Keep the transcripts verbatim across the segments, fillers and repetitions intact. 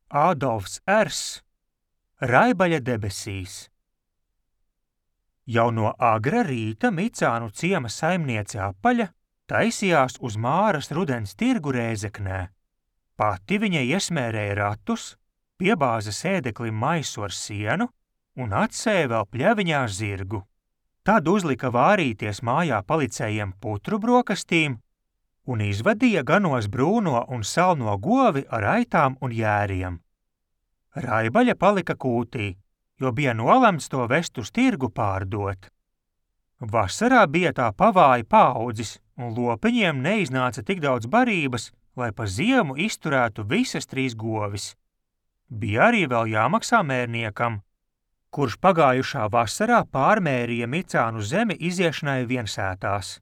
Ādolfs Ers, Raibaļa debesīs. Jau no agra rīta Micānu ciema saimniece Apaļa taisījās uz Māras rudens tirgu Rēzeknē. Pati viņa iesmērēja ratus, piebāza sēdeklim maisu ar sienu un atsēja vēl pļaviņā zirgu. Tad uzlika vārīties mājā palicējiem putru brokastīm un izvadīja ganos brūno un salno govi ar aitām un jēriem. Raibaļa palika kūtī, jo bija nolemts to vest uz tirgu pārdot. Vasarā bija tā pavāja paaudzis, un lopiņiem neiznāca tik daudz barības, lai pa ziemu izturētu visas trīs govis. Bija arī vēl jāmaksā mērniekam, kurš pagājušā vasarā pārmērīja Micānu zemi iziešanai viensētās.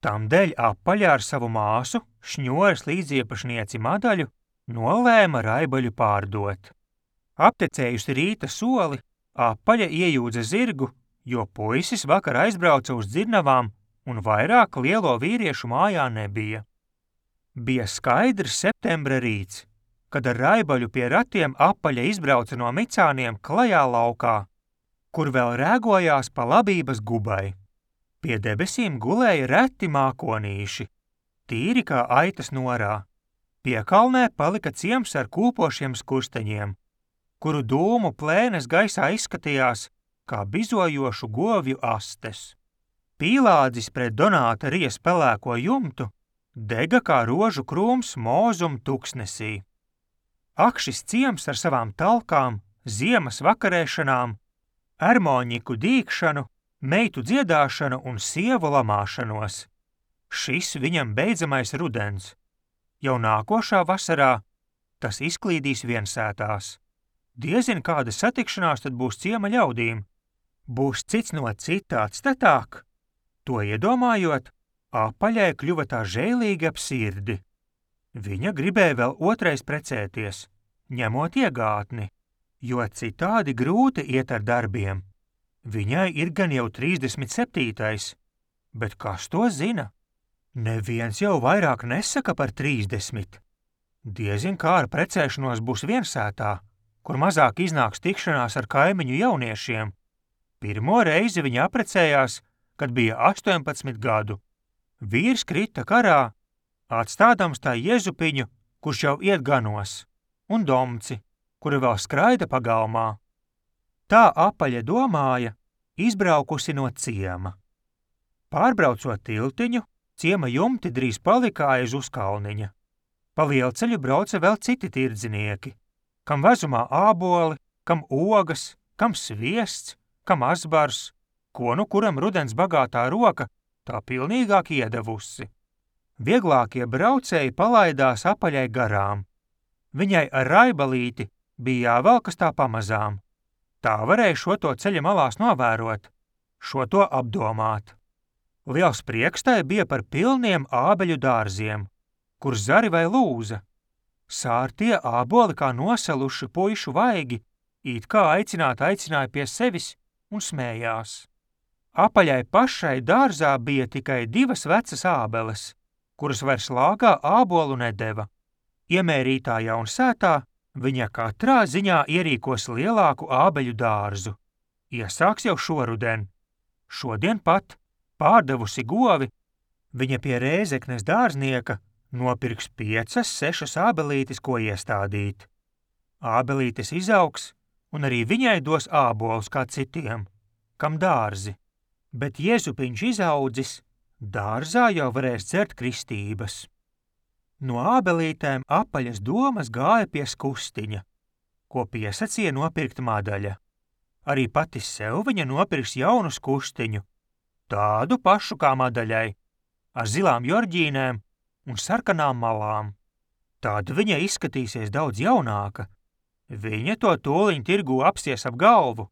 Tamdēļ Apaļa ar savu māsu, šņores līdziepašnieci Madaļu, nolēma Raibaļu pārdot. Aptecējusi rīta soli, Apaļa iejūdza zirgu, jo puisis vakar aizbrauca uz dzirnavām un vairāk lielo vīriešu mājā nebija. Bija skaidrs septembra rīts, kad ar Raibaļu pie ratiem Apaļa izbrauca no Micāniem klajā laukā, kur vēl rēgojās pa labības gubai. Pie debesīm gulēja reti mākonīši, tīri kā aitas norā. Piekalnē palika ciems ar kūpošiem skursteņiem, kuru dūmu plēnes gaisā izskatījās kā bizojošu govju astes. Pīlādzis pret Donāta ries pelēko jumtu dega kā rožu krūms mūzum tuksnesī. Ak, šis ciems ar savām talkām, ziemas vakarēšanām, ermoņiku dīkšanu, meitu dziedāšanu un sievu lamāšanos. Šis viņam beidzamais rudens. Jau nākošā vasarā tas izklīdīs viensētās. Diezin kāda satikšanās tad būs ciema ļaudīm. Būs cits no cita atstatāk. To iedomājot, Apaļai kļuva tā žēlīgi ap sirdi. Viņa gribēja vēl otrais precēties, ņemot iegātni, jo citādi grūti iet ar darbiem. Viņai ir gan jau trīsdesmit septītais, bet kas to zina? Neviens jau vairāk nesaka par trīsdesmit. Diezin kā ar precēšanos būs viensētā, kur mazāk iznāks tikšanās ar kaimiņu jauniešiem. Pirmo reizi viņa aprecējās, kad bija astoņpadsmit gadu. Vīrs krita karā, atstādams tā Jezupiņu, kurš jau iet ganos, un Domci, kura vēl skraida pagalmā. Tā Apaļa domāja, izbraukusi no ciema. Pārbraucot tiltiņu, ciema jumti drīz palika aiz uzkalniņa. Pa lielceļu brauca vēl citi tirdznieki, kam vezumā āboli, kam ogas, kam sviests, kam azbars, ko nu kuram rudens bagātā roka tā pilnīgāk iedevusi. Vieglākie braucēji palaidās Apaļai garām. Viņai ar Raibalīti bija jāvelkas tā pamazām. Tā varēja šo to ceļa malās novērot, šo to apdomāt. Liels prieks tai bija par pilniem ābeļu dārziem, kur zari vai lūza. Sārtie āboli kā nosaluši puišu vaigi, it kā aicināt aicināja pie sevis un smējās. Apaļai pašai dārzā bija tikai divas vecas ābeles, kuras vairs lāgā ābolu nedeva. Iemērītājā un sētā viņa katrā ziņā ierīkos lielāku ābeļu dārzu. Iesāks jau šoruden. Šodien pat, pārdevusi govi, viņa pie Rēzeknes dārznieka nopirks piecas, sešas ābelītes, ko iestādīt. Ābelītes izaugs, un arī viņai dos ābolus kā citiem, kam dārzi. Bet Jezupiņš izaudzis, dārzā jau varēs dzert kristības. No ābelītēm Apaļas domas gāja pie skustiņa, ko piesacīja nopirkt Madaļa. Arī pati sev viņa nopirks jaunu skustiņu, tādu pašu kā Madaļai, ar zilām jorģīnēm un sarkanām malām. Tāda viņa izskatīsies daudz jaunāka. Viņa to tūliņ tirgū apsies ap galvu,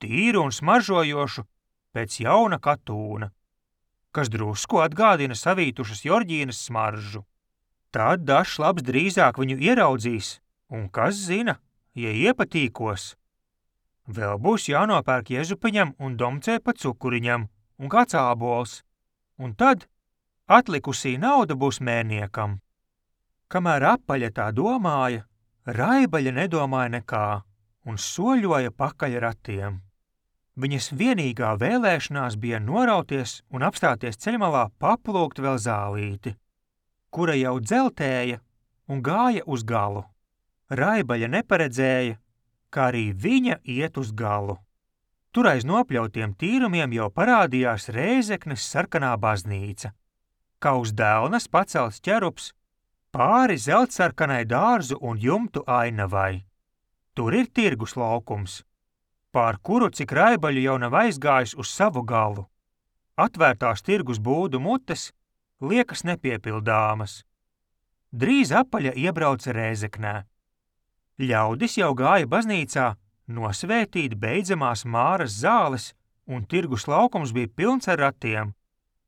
tīru un smaržojošu, pēc jauna katūna, kas drusku atgādina savītušas jorģīnas smaržu. Tad dažs labs drīzāk viņu ieraudzīs, un kas zina, ja iepatīkos. Vēl būs jānopērk Jezupiņam un Domcē pa cukuriņam un kāds ābols, un tad atlikusī nauda būs mērniekam. Kamēr Apaļa tā domāja, Raibaļa nedomāja nekā un soļoja pakaļ ratiem. Viņas vienīgā vēlēšanās bija norauties un apstāties ceļmalā paplūkt vēl zālīti, kura jau dzeltēja un gāja uz galu. Raibaļa neparedzēja, kā arī viņa iet uz galu. Tur aiz nopļautiem tīrumiem jau parādījās Rēzeknes sarkanā baznīca, kā uz delnas pacelts ķerups pāri zeltsarkanai dārzu un jumtu ainavai. Tur ir tirgus laukums, pār kuru cik Raibaļu jau nav aizgājis uz savu galu. Atvērtās tirgus būdu mutes liekas nepiepildāmas. Drīz Apaļa iebrauca Rēzeknē. Ļaudis jau gāja baznīcā nosvētīt beidzamās Māras zāles, un tirgus laukums bija pilns ar ratiem,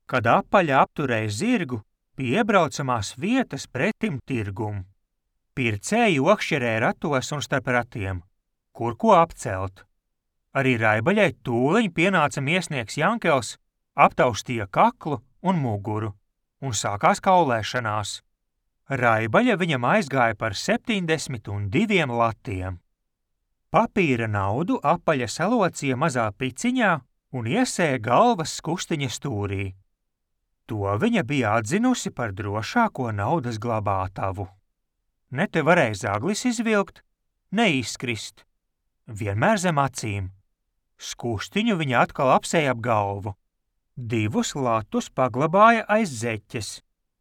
kad Apaļa apturēja zirgu pie iebraucamās vietas pretim tirgum. Pircēji okšķerēja ratos un starp ratiem, kur ko apcelt. Arī Raibaļai tūliņ pienāca miesnieks Jankels, aptaustīja kaklu un muguru, un sākās kaulēšanās. Raibaļa viņam aizgāja par septiņdesmit un diviem latiem. Papīra naudu Apaļa salocīja mazā piciņā un iesēja galvas skustiņa stūrī. To viņa bija atzinusi par drošāko naudas glabātavu. Ne te varēja zaglis izvilkt, ne izkrist. Vienmēr zem acīm. Skustiņu viņa atkal apsēja ap galvu. Divus latus paglabāja aiz zeķes,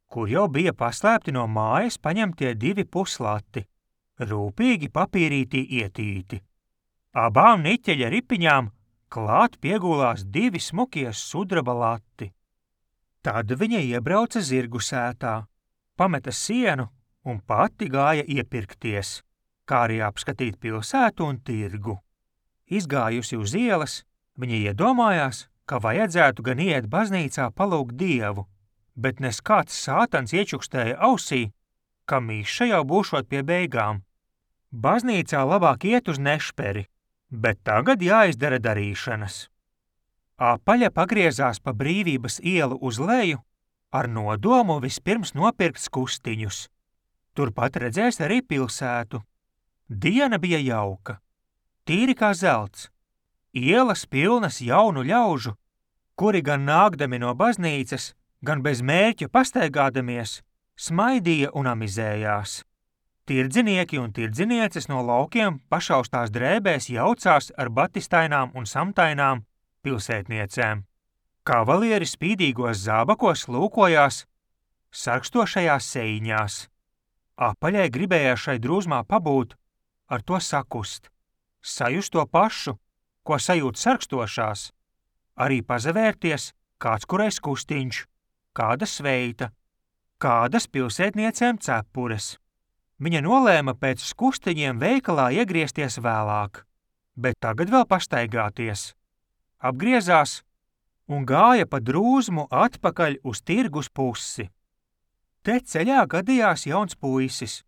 kur jau bija paslēpti no mājas paņemtie divi puslati, rūpīgi papīrītī ietīti. Abām niķeļa ripiņām klāt piegulās divi smukie sudraba lati. Tad viņa iebrauca zirgu sētā, pameta sienu un pati gāja iepirkties, kā arī apskatīt pilsētu un tirgu. Izgājusi uz ielas, viņa iedomājās, ka vajadzētu gan iet baznīcā palūgt Dievu, bet nes kāds sātans iečukstēja ausī, ka miša jau būšot pie beigām. Baznīcā labāk iet uz nešperi, bet tagad jāizdara darīšanas. Apaļa pagriezās pa Brīvības ielu uz leju ar nodomu vispirms nopirkt skustiņus. Turpat redzēs arī pilsētu. Diena bija jauka, tīri kā zelts, ielas pilnas jaunu ļaužu, kuri gan nākdami no baznīcas, gan bez mērķa pastaigādamies, smaidīja un amizējās. Tirdzinieki un tirdzinieces no laukiem pašaustās drēbēs jaucās ar batistainām un samtainām pilsētniecēm. Kavalieri spīdīgos zābakos lūkojās sarkstošajās seiņās. Apaļai gribējās šai drūzmā pabūt, ar to sakust, sajust to pašu, ko sajūt sarkstošās, arī pazavērties kāds kurais kustiņš, kāda sveita, kādas pilsētniecēm cepures. Viņa nolēma pēc skustiņiem veikalā iegriezties vēlāk, bet tagad vēl pastaigāties. Apgriezās un gāja pa drūzmu atpakaļ uz tirgus pusi. Te ceļā gadījās jauns puisis,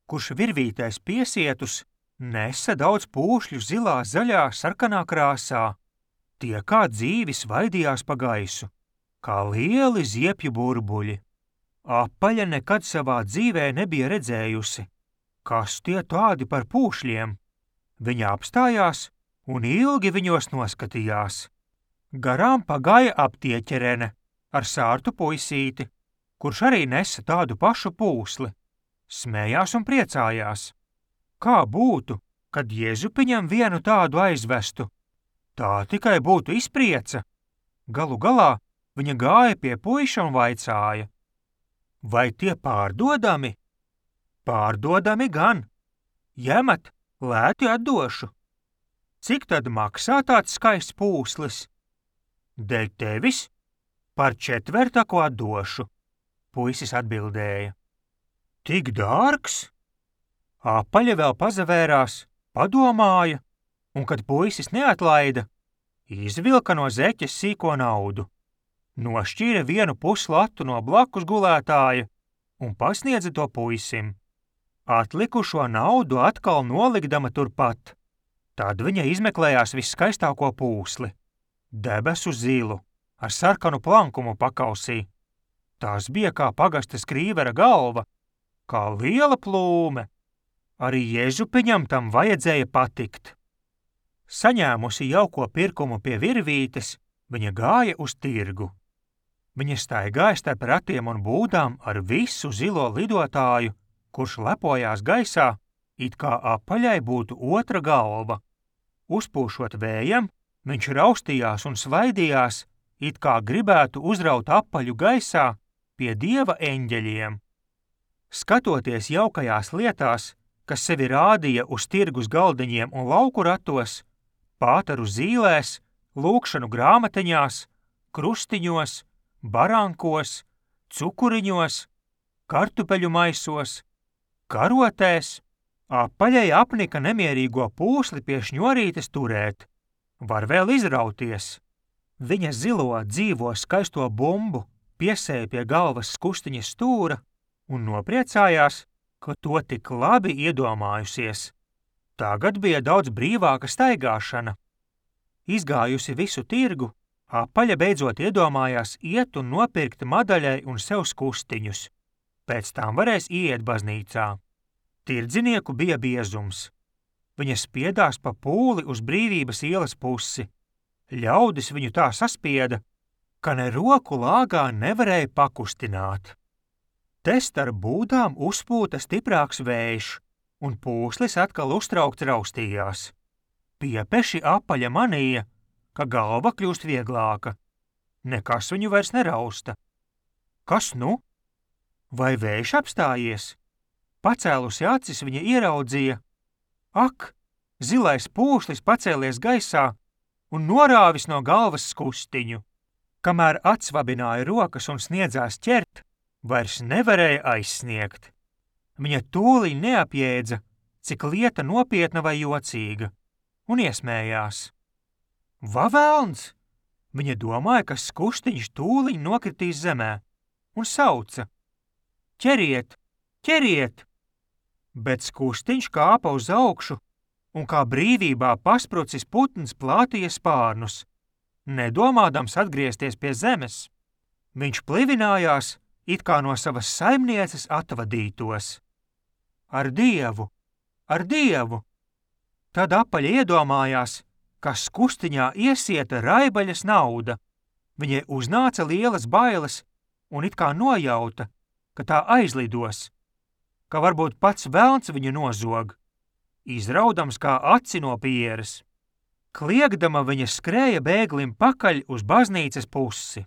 kurš virvītais piesietus nesa daudz pūšļu zilā, zaļā, sarkanā krāsā. Tie kā dzīvi svaidījās pa gaisu, kā lieli ziepju burbuļi. Apaļa nekad savā dzīvē nebija redzējusi, kas tie tādi par pūšļiem. Viņa apstājās un ilgi viņos noskatījās. Garām pagāja aptieķerene ar sārtu puisīti, kurš arī nesa tādu pašu pūsli. Smējās un priecājās. Kā būtu, kad Jēzupiņam vienu tādu aizvestu? Tā tikai būtu izprieca. Galu galā viņa gāja pie puiša un vaicāja. Vai tie pārdodami? Pārdodami gan. Ņemat, lēti atdošu. Cik tad maksā tāds skaists pūslis? Dēļ tevis par četvertaku atdošu, puisis atbildēja. Tik dārgs? Apaļa vēl pazavērās, padomāja, un kad puisis neatlaida, izvilka no zeķes sīko naudu, nošķīra vienu puslatu no blakus gulētāja un pasniedza to puisim. Atlikušo naudu atkal nolikdama turpat. Tad viņa izmeklējās visskaistāko pūsli, debesu zilu, ar sarkanu plankumu pakausī. Tas bija kā pagasta skrīvera galva, kā liela plūme. Arī Jēzupiņam tam vajadzēja patikt. Saņēmusi jauko pirkumu pie virvītes, viņa gāja uz tirgu. Viņa staigāja starp ratiem un būdām ar visu zilo lidotāju, kurš lepojās gaisā, it kā apaļai būtu otra galva. Uzpūšot vējam, viņš raustījās un svaidījās, it kā gribētu uzraut apaļu gaisā pie dieva eņģeļiem. Skatoties jaukajās lietās, kas sevi rādīja uz tirgus galdiņiem un lauku ratos, pātaru zīlēs, lūkšanu grāmatiņās, krustiņos, barankos, cukuriņos, kartupeļu maisos, karotēs, apaļai apnika nemierīgo pūsli pie šņorītes turēt. Var vēl izrauties. Viņa zilo, dzīvo, skaisto bumbu piesēja pie galvas skustiņas stūra un nopriecājās, ka to tik labi iedomājusies. Tagad bija daudz brīvāka staigāšana. Izgājusi visu tirgu, apaļa beidzot iedomājās iet un nopirkt madaļai un sev skustiņus. Pēc tam varēs iet baznīcā. Tirdzinieku bija biezums. Viņa spiedās pa pūli uz Brīvības ielas pusi. Ļaudis viņu tā saspieda, ka ne roku lāgā nevarēja pakustināt. Te starp būdām uzpūta stiprāks vējš, un pūslis atkal uztraukts raustījās. Piepeši apaļa manīja, ka galva kļūst vieglāka. Nekas viņu vairs nerausta. Kas nu? Vai vējš apstājies? Pacēlusi acis, viņa ieraudzīja. Ak, zilais pūslis pacēlies gaisā un norāvis no galvas skustiņu. Kamēr atsvabināja rokas un sniedzās ķert, vairs nevarēja aizsniegt. Viņa tūlī neapjēdza, cik lieta nopietna vai jocīga, un iesmējās. Va velns! Viņa domāja, ka skustiņš tūliņ nokritīs zemē, un sauca. Ķeriet, ķeriet! Bet skustiņš kāpa uz augšu, un kā brīvībā pasprucis putns plātīja spārnus, nedomādams atgriezties pie zemes. Viņš plivinājās, it kā no savas saimnieces atvadītos. Ar Dievu, ar Dievu! Tad apaļa iedomājās, ka skustiņā iesieta raibaļas nauda. Viņai uznāca lielas bailes un it kā nojauta, ka tā aizlidos, ka varbūt pats velns viņu nozog, izraudams kā aci no pieres. Kliegdama viņa skrēja bēglim pakaļ uz baznīcas pusi,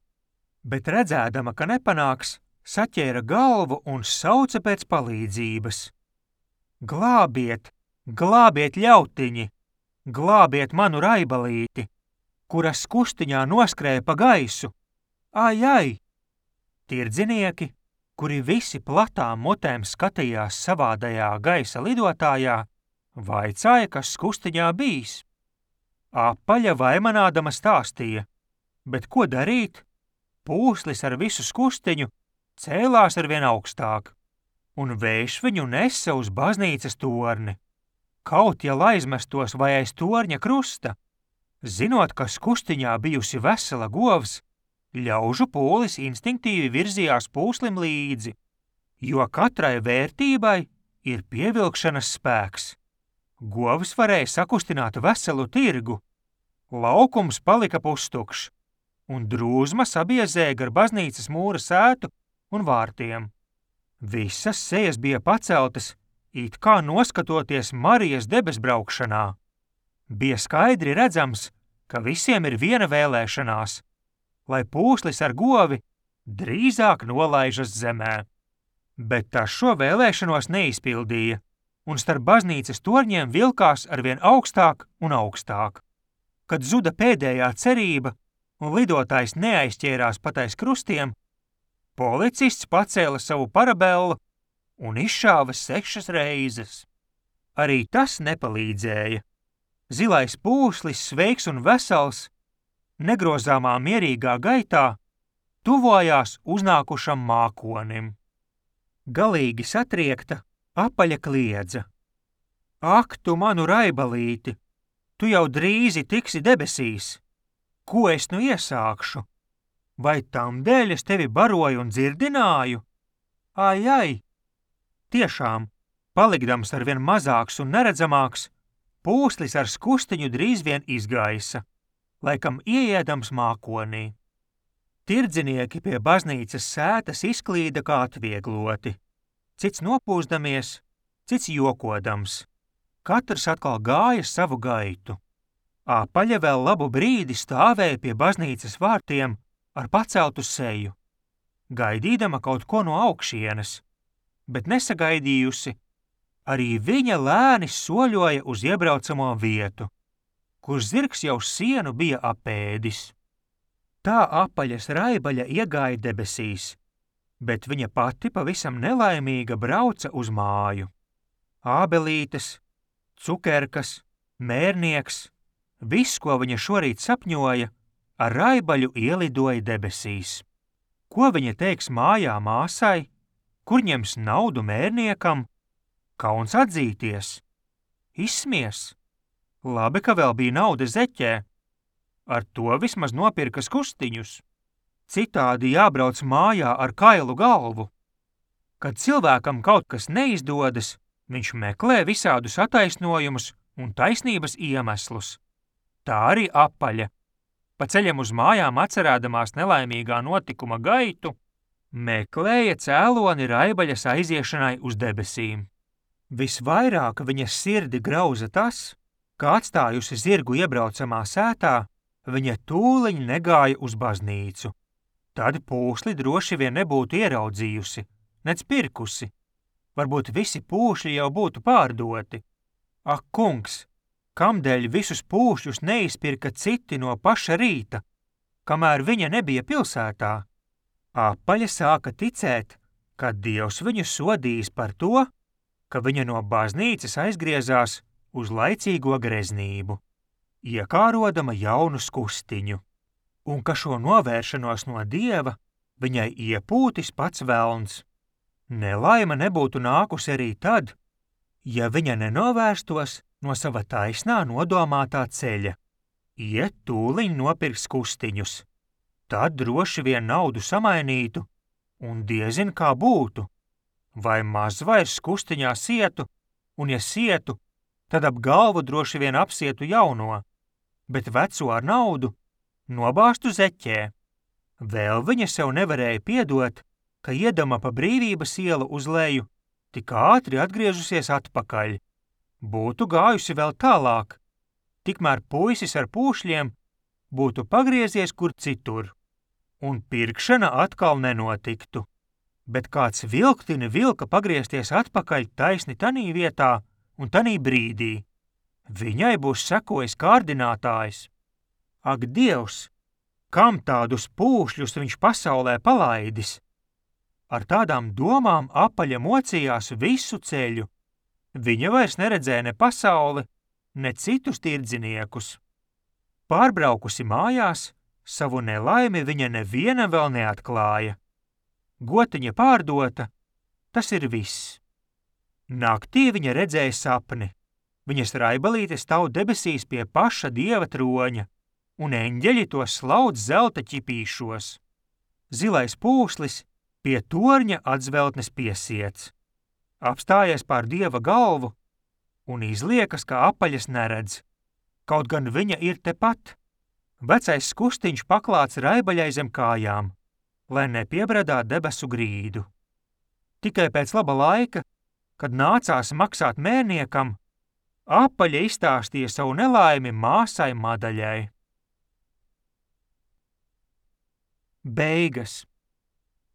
bet redzēdama, ka nepanāks, saķēra galvu un sauca pēc palīdzības. Glābiet, glābiet ļautiņi, glābiet manu raibalīti, kura skustiņā noskrēja pa gaisu. Ai, ai! Tirdzinieki, kuri visi platām mutēm skatījās savādajā gaisa lidotājā, vaicāja, kas skustiņā bijis. Apaļa vaimanādama stāstīja, bet ko darīt? Pūslis ar visu skustiņu cēlās arvien augstāk, un vējš viņu nesa uz baznīcas torni. Kaut ja aizmestos vai aiz torņa krusta, zinot, ka skustiņā bijusi vesela govs, ļaužu pūlis instinktīvi virzījās pūslim līdzi, jo katrai vērtībai ir pievilkšanas spēks. Govs varēja sakustināt veselu tirgu, laukums palika pustukšs, un drūzma sabiezēja gar baznīcas mūra sētu un vārtiem. Visas sejas bija paceltas, it kā noskatoties Marijas debesbraukšanā. Bija skaidri redzams, ka visiem ir viena vēlēšanās, lai pūslis ar govi drīzāk nolaižas zemē. Bet tas šo vēlēšanos neizpildīja, un starp baznīcas torņiem vilkās arvien augstāk un augstāk. Kad zuda pēdējā cerība un lidotājs neaizķērās pat aiz krustiem, policists pacēla savu parabellu un izšāva sešas reizes. Arī tas nepalīdzēja. Zilais pūslis, sveiks un vesels, negrozāmā mierīgā gaitā tuvojās uznākušam mākonim. Galīgi satriekta, apaļa kliedza. Ak, tu manu raibalīti, tu jau drīzi tiksi debesīs. Ko es nu iesākšu? Vai tam dēļ es tevi baroju un dzirdināju? Ai, ai! Tiešām, Palikdams arvien mazāks un neredzamāks, pūslis ar skustiņu drīz vien izgaisa, laikam ieēdams mākonī. Tirdzinieki pie baznīcas sētas izklīda kā atviegloti, cits nopūsdamies, cits jokodams. Katrs atkal gāja savu gaitu. Apaļa vēl labu brīdi stāvēja pie baznīcas vārtiem ar paceltu seju, gaidīdama kaut ko no augšienes, bet nesagaidījusi, arī viņa lēni soļoja uz iebraucamo vietu, kur zirgs jau sienu bija apēdis. Tā apaļas raibaļa iegāja debesīs, bet viņa pati pavisam nelaimīga brauca uz māju. Ābelītes, cukerkas, mērnieks, viss, ko viņa šorīt sapņoja, ar raibaļu ielidoja debesīs. Ko viņa teiks mājā māsai, kur ņems naudu mērniekam? Kauns atzīties. Izsmies. Labi, ka vēl bija nauda zeķē. Ar to vismaz nopirka skustiņus. Citādi jābrauc mājā ar kailu galvu. Kad cilvēkam kaut kas neizdodas, viņš meklē visādus attaisnojumus un taisnības iemeslus. Tā arī apaļa. Pa ceļam uz mājām atcerēdamās nelaimīgā notikuma gaitu, meklēja cēloni raibaļas aiziešanai uz debesīm. Visvairāk viņas sirdi grauza tas, ka atstājusi zirgu iebraucamā sētā, viņa tūliņ negāja uz baznīcu. Tad pūsli droši vien nebūtu ieraudzījusi, nec pirkusi. Varbūt visi pūšļi jau būtu pārdoti. Ak, kungs, kamdēļ visus pūšļus neizpirka citi no paša rīta, kamēr viņa nebija pilsētā? Apaļa sāka ticēt, ka Dievs viņu sodīs par to, ka viņa no baznīcas aizgriezās uz laicīgo greznību, iekārodama jaunu skustiņu, un ka šo novēršanos no Dieva viņai iepūtis pats velns. Nelaime nebūtu nākusi arī tad, ja viņa nenovērstos no sava taisnā nodomātā ceļa, iet tūliņ nopirkt skustiņus, tad droši vien naudu samainītu, un diezin kā būtu, vai maz vairs skustiņā sietu, un ja sietu, tad ap galvu droši vien apsietu jauno, bet veco ar naudu nobāztu zeķē. Vēl viņa sev nevarēja piedot, ka iedama pa Brīvības ielu uz leju, tik ātri atgriežusies atpakaļ. Būtu gājusi vēl tālāk, tikmēr puisis ar pūšļiem būtu pagriezies kur citur, un pirkšana atkal nenotiktu. Bet kāds vilktini vilka pagriezties atpakaļ taisni tanī vietā un tanī brīdī. Viņai būs sekojis kārdinātājs. Ak, Dievs, kam tādus pūšļus viņš pasaulē palaidis? Ar tādām domām apaļa mocījās visu ceļu. Viņa vairs neredzēja ne pasauli, ne citus tirdziniekus. Pārbraukusi mājās, savu nelaimi viņa nevienam vēl neatklāja. Gotiņa pārdota, tas ir viss. Naktī viņa redzēja sapni. Viņas raibalīte stāv debesīs pie paša Dieva troņa, un eņģeļi to slaudz zelta ķipīšos. Zilais pūslis pie torņa atzveltnes piesiets. Apstājies pār Dieva galvu un izliekas, ka apaļas neredz. Kaut gan viņa ir tepat. Vecais skustiņš paklāts raibaļai zem kājām, lai nepiebradā debesu grīdu. Tikai pēc laba laika, kad nācās maksāt mērniekam, apaļa izstāstīja savu nelaimi māsai Madaļai. Beigas.